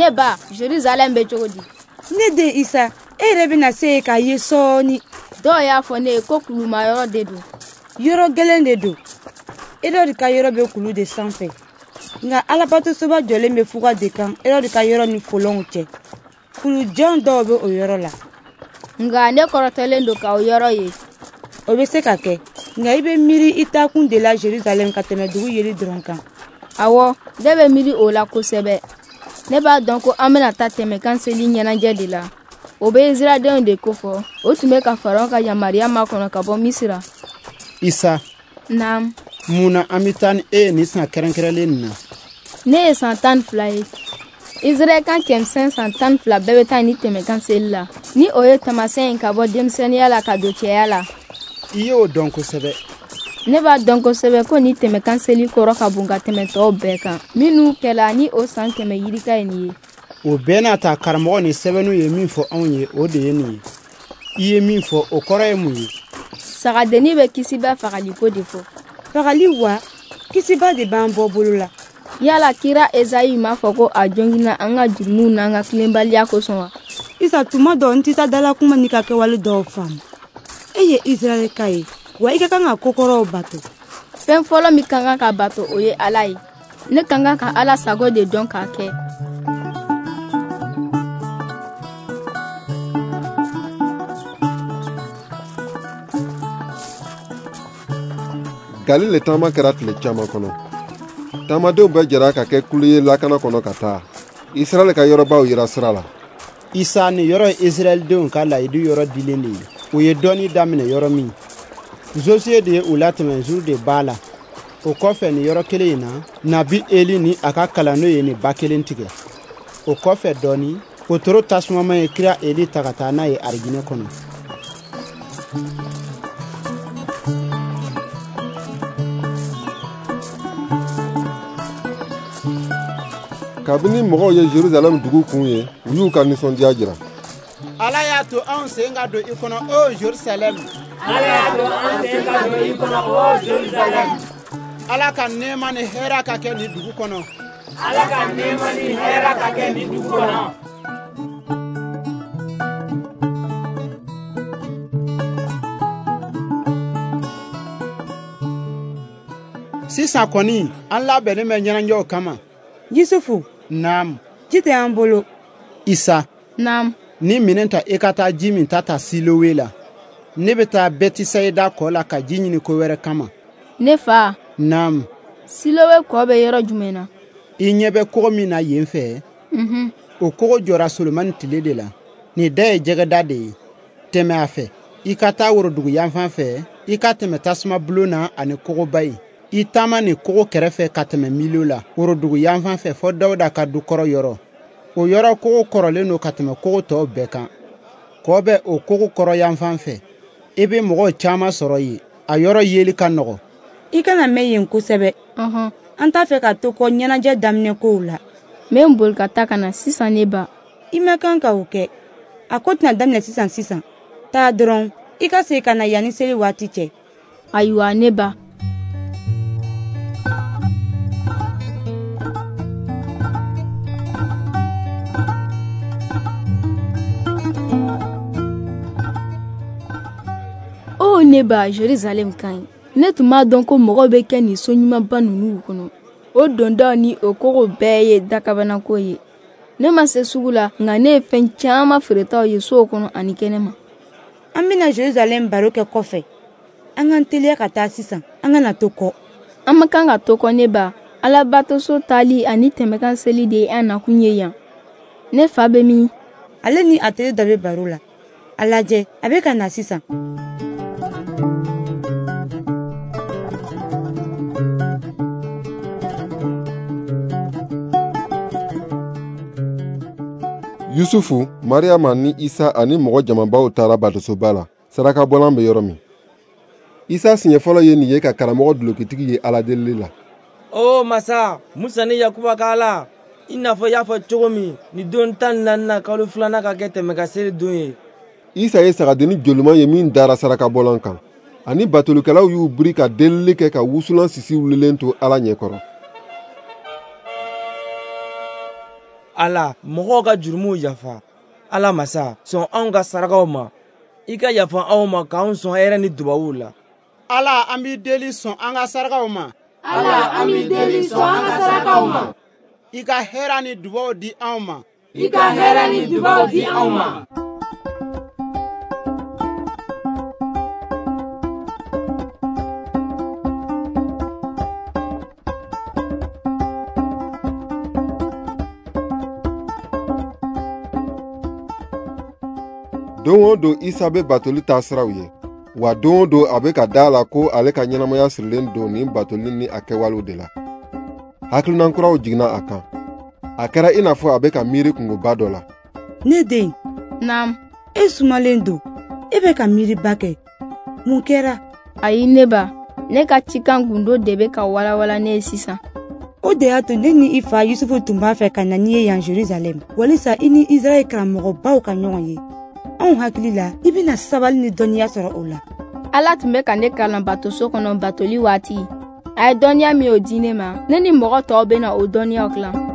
Ne ba, Jerusalɛm bɛ cogo di? Ne den Isa, e yɛrɛ bɛna se yen k'a ye sɔɔni. Dɔw y'a fɔ ne ye ko kulumayɔrɔ de don. Yɔrɔ gɛlɛn de don. Erɔdi ka yɔrɔ bɛ kulu de sanfɛ. Nka Alabatosoba jɔlen bɛ fuga de kan Erɔdi ka yɔrɔ ni folonw cɛ. Kulujan dɔw bɛ o yɔrɔ la. Nka ne kɔrɔtɔlen don ka o yɔrɔ ye. O bɛ se ka kɛ, nka i bɛ miiri i taakun de la Jerusalɛm ka tɛmɛ dugu yeli dɔrɔn kan. Awɔ, ne bɛ miiri o la kosɛbɛ. Ne b'a dɔn ko an bɛna taa tɛmɛkan seli ɲɛnajɛ de la. O bɛ Israɛldenw de kofɔ. O tun bɛ ka Faraon ka yamaruya makɔnɔ ka bɔ Misira. Isa. Naam. Mun na an bɛ taa ni e ye nin san kɛrɛnkɛrɛnlen nin na? Ne ye san 12 ye. Israɛl kan cɛmisɛn san 12 bɛɛ bɛ taa ni tɛmɛkan seli la. Ni o ye taamasiyɛn ye ka bɔ denmisɛnninya la ka don cɛya la. I y'o dɔn kosɛbɛ. Ne b'a dɔn kosɛbɛ ko ni tɛmɛkan seli kɔrɔ ka bon ka tɛmɛ tɔw bɛɛ kan. Minnu kɛla ni o san 100 yirika ye nin ye. O bɛɛ n'a ta karamɔgɔ ni sɛbɛnniw ye min fɔ anw ye, o de ye nin ye. I ye min fɔ, o kɔrɔ ye mun ye? Sagadennin bɛ kisiba fagaliko de fɔ. Fagali wa? Kisiba de b'an bɔ bolo la. Yala kira Ezayi m'a fɔ ko a joginna an ka jurumuw n'an ka tilenbaliya kosɔn wa? Isa, tuma dɔ n tɛ taa dalakuma n'i ka kɛwale dɔw faamu. E ye Israɛlka ye, wa i ka kan ka kokɔrɔw bato. Fɛn fɔlɔ min ka kan ka bato, o ye Ala ye. Ne ka kan ka Ala sago de dɔn k'a kɛ. Galile taama kɛra tile caman kɔnɔ. Taamadenw bɛɛ jɛra ka kɛ kulu ye lakana kɔnɔ ka taa. Israɛl ka yɔrɔbaw yira sira la. Isa, nin yɔrɔ ye Israɛldenw ka layidu yɔrɔ dilen de ye. U ye dɔnni daminɛ yɔrɔ min. Josué de ye u latɛmɛ Zurde ba la. O kɔfɛ nin yɔrɔ kelen in na, Nabi Eli ni a ka kalandenw ye nin ba kelen tigɛ. O kɔfɛ dɔɔni, wotoro tasumama ye kira Eli ta ka taa n'a ye arijinɛ kɔnɔ. Kabini mɔgɔw ye Jerusalɛm dugu kun ye, u y'u ka nisɔndiya jira. Ala y'a to anw sen ka don i kɔnɔ, o Jerusalɛm. Ala y'a to an sen ka don i kɔnɔ, o Jerusalɛm. Ala ka nɛɛma ni hɛrɛ ka kɛ nin dugu kɔnɔ. Ala ka nɛɛma ni hɛrɛ ka kɛ nin dugu kɔnɔ. Sisan kɔni, an labɛnnen bɛ ɲɛnajɛw kama. Yusufu. Naam. Ji tɛ an bolo. Isa. Naam. Ni minɛn ta i ka taa ji min ta ta Silowe la. Ne bɛ taa Bɛtisayida kɔ la ka ji ɲini ko wɛrɛ kama. Ne fa. Naam. Silowe kɔ bɛ yɔrɔ jumɛn na? I ɲɛ bɛ kogo min na yen fɛ. O kogo jɔra Solomani tile de la. Nin da ye jɛgɛda de ye. Tɛmɛ a fɛ. I ka taa worodugu yanfan fɛ. I ka tɛmɛ tasuma bulon na ani kogoba in. I taama nin kogo kɛrɛfɛ ka tɛmɛ Milo la worodugu yanfan fɛ fɔ Dawuda ka du kɔrɔ yɔrɔ. O yɔrɔ kogo kɔrɔlen don ka tɛmɛ kogo tɔw bɛɛ kan. Kɔ bɛ o kogo kɔrɔ yanfan fɛ. I bɛ mɔgɔw caman sɔrɔ yen. A yɔrɔ yeli ka nɔgɔ. I kana mɛn yen kosɛbɛ. An t'a fɛ ka to kɔ ɲɛnajɛ daminɛ kow la. N bɛ n boli ka taa ka na sisan ne ba. I ma kan ka o kɛ. A ko tɛna daminɛ sisan sisan. Taa dɔrɔn, i ka segin ka na yanni seli waati cɛ. Ayiwa ne ba. O ne ba, Jerusalɛm ka ɲi. Ne tun b'a dɔn ko mɔgɔw bɛ kɛ nin so ɲumanba ninnu kɔnɔ. O dondaw ni o kogo bɛɛ ye dakabanako ye. Ne ma se sugu la, nka ne ye fɛn caman feeretaw ye sow kɔnɔ ani kɛnɛma. An bɛna Jerusalɛm baro kɛ kɔfɛ. An k'an teliya ka taa sisan, an kana to kɔ. An ma kan ka to kɔ ne ba. Alabatoso taali ani tɛmɛkan seli de ye an nakun ye yan. Ne fa bɛ min? Ale ni a teri dɔ bɛ baro la. A lajɛ, a bɛ ka na sisan. Yusufu, Mariyama ni Isa ani mɔgɔ jamabaw taara batosoba la, sarakabɔlan bɛ yɔrɔ min. Isa siɲɛ fɔlɔ ye nin ye ka karamɔgɔ dulokitigi ye Ala delili la. O masa, Musa ni Yakuba ka Ala, i n'a fɔ i y'a fɔ cogo min, nin don 14 kalo 2 ka kɛ tɛmɛ ka seli don ye. Isa ye sagadennin joliman ye min dara sarakabɔlan kan. Ani batolikɛlaw y'u biri ka delili kɛ ka wusulan sisi wulilen to Ala ɲɛkɔrɔ. Ala, mɔgɔw ka jurumuw yafa. Ala masa, sɔn anw ka sarakaw ma. I ka yafa anw ma k'anw sɔn hɛrɛ ni dubabuw la. Ala, an b'i deli, sɔn an ka sarakaw ma. Ala, an b'i deli, sɔn an ka sarakaw ma. I ka hɛrɛ ni dubaw di anw ma. I ka hɛrɛ ni dubaw di anw ma. Don o don Isa bɛ batoli taasiraw ye, wa don o don a bɛ ka da a la ko ale ka ɲɛnamaya sirilen don nin batoli ni a kɛwalew de la. Hakilina kuraw jiginna a kan. A kɛra i n'a fɔ a bɛ ka miiri kungoba dɔ la. Ne den. Naam. E sumalen don. E bɛ ka miiriba kɛ. Mun kɛra? Ayi ne ba, ne ka cikan gundo de bɛ ka walawala ne ye sisan. O de y'a to ne ni i fa Yusufu tun b'a fɛ ka na n'i ye yan Jerusalɛm, walisa i ni Israɛl karamɔgɔbaw ka ɲɔgɔn ye. Anw hakili la, i bɛna sabali ni dɔnniya sɔrɔ o la. Ala tun bɛ ka ne kalan batoso kɔnɔ batoli waati. A ye dɔnniya min o di ne ma, ne ni mɔgɔ tɔw bɛna o dɔnniyaw tilan.